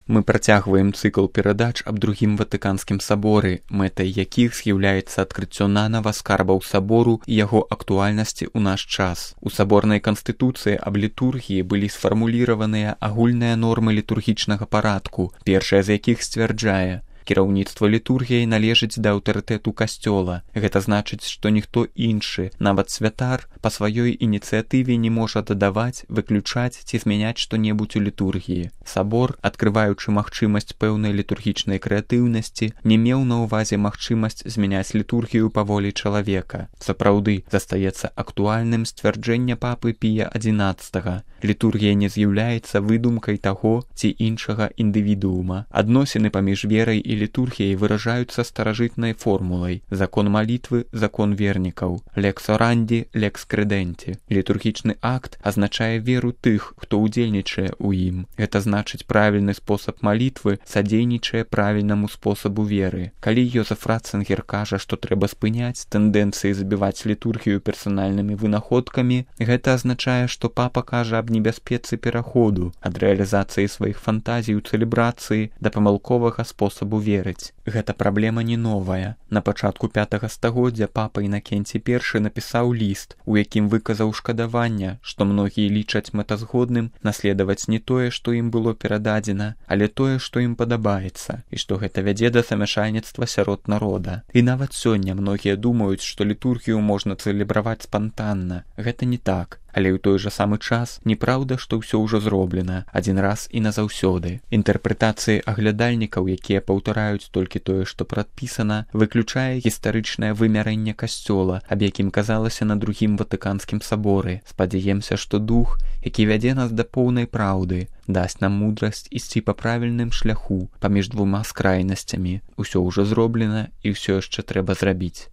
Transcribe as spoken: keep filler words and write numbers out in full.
Мы працягваем цыкл перадач аб другім ватыканскім саборы, мэтай якіх з'яўляецца адкрыццё нанава скарбаў сабору і яго актуальнасці ў наш час. У саборнай канстытуцыі аб літургіі былі сфармуліраваныя агульныя нормы літургічнага парадку, першая з якіх сцвярджае: кіраўніцтва літургіяй належыць да аўтарытэту касцёла. Гэта значыць, што ніхто іншы, нават святар, па сваёй ініцыятыве не можа дадаваць, выключаць ці змяняць што-небудзь у літургіі. Сабор, адкрываючы магчымасць пэўнай літургічнай крэатыўнасці, не меў на ўвазе магчымасць змяняць літургію па волі чалавека. Сапраўды, застаецца актуальным сцвярджэнне папы Пія адзінаццатага. Літургія не з'яўляецца выдумкай таго ці іншага індывідуума. Адносіны паміж верай і літургіяй выражаюцца старажытнай формулай: закон малітвы, закон вернікаў, лекс оранди, лекс крэдэнти. Літургічны акт азначае веру тых, хто ўдзельнічае ў ім. Гэта значыць, правільны спосаб малітвы садзейнічае правільнаму спосабу веры. Калі Йозеф Ратцынгер кажа, што трэба спыняць тэндэнцыі забіваць літургію персанальнымі вынаходкамі, гэта азначае, што папа кажа аб небяспецы пераходу ад рэалізацыі сваіх фантазій у цэлебрацыі да памылковага спосабу верыць. Гэта праблема не новая. На пачатку пятага стагоддзя папа Інакенцій першы напісаў ліст, у якім выказаў шкадаванне, што многія лічаць мэтазгодным наследаваць не тое, што ім было перададзена, але тое, што ім падабаецца, і што гэта вядзе да замяшальніцтва сярод народа. І нават сёння многія думаюць, што літургію можна цэлебраваць спантанна. Гэта не так. Але ў той жа самы час неправда, што ўсё ўжо зроблена адзін раз і назаўсёды. Інтэрпрэтацыі аглядальнікаў, якія паўтараюць толькі тое, што прадпісана, выключае гістарычнае вымярэнне касцёла, аб якім казалася на другім ватыканскім саборы. Спадзяемся, што дух, які вядзе нас да поўнай праўды, дасць нам мудрасць ісці па правільным шляху паміж двума скрайнасцямі. Усё ўжо зроблена і ўсё яшчэ трэба зрабіць.